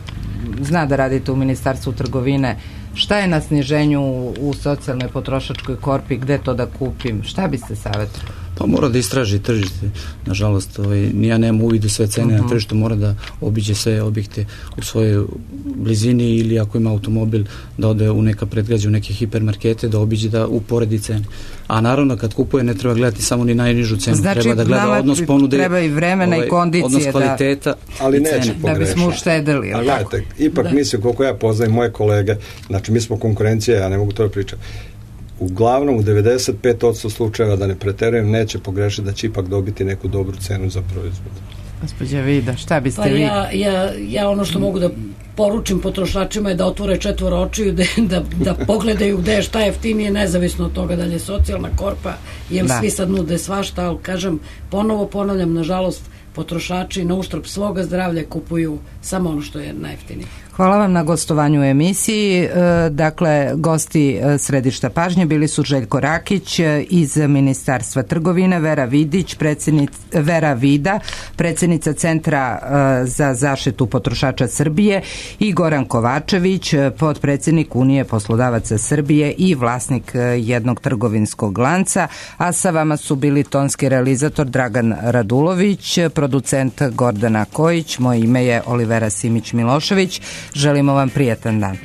zna da radite u Ministarstvu trgovine, šta je na sniženju u, u socijalnoj potrošačkoj korpi, gde to da kupim, šta biste savjetovali? Pa mora da istraži tržište, nažalost, ovaj, ja nemam uvid u sve cene uh-huh. na tržištu, mora da obiđe sve objekte u svojoj blizini ili ako ima automobil da ode u neka predgrađa, u neke hipermarkete, da obiđe da uporedi cene. A naravno kad kupuje ne treba gledati samo ni najnižu cenu, znači, treba da gleda odnos ponude, treba i vremena ovaj, i kondicije, odnos kvaliteta da, ali neće da bismo uštedili. Ali gledajte, ipak da. mislim koliko ja poznajem moje kolege, znači mi smo konkurencija, ja ne mogu to da pričam. Uglavnom u devedeset pet posto slučajeva, da ne preterujem, neće pogrešiti da će ipak dobiti neku dobru cenu za proizvod. Gospođa Vida, šta biste pa vi? Ja, ja, ja ono što mogu da poručim potrošačima je da otvore četvoro očiju, da, da, da pogledaju gde je šta jeftinije, nezavisno od toga da li je socijalna korpa, jer da. svi sad nude svašta, ali kažem, ponovo ponavljam, nažalost, potrošači na uštrb svoga zdravlja kupuju samo ono što je najjeftinije. Hvala vam na gostovanju u emisiji. Dakle, gosti Središta pažnje bili su Željko Rakić iz Ministarstva trgovine, Vera Vidić, Vera Vida, predsjednica Centra za zaštitu potrošača Srbije i Goran Kovačević, potpredsjednik Unije poslodavaca Srbije i vlasnik jednog trgovinskog lanca, a sa vama su bili tonski realizator Dragan Radulović, producent Gordana Kojić, moje ime je Olivera Simić Milošević. Želimo vam prijatan dan.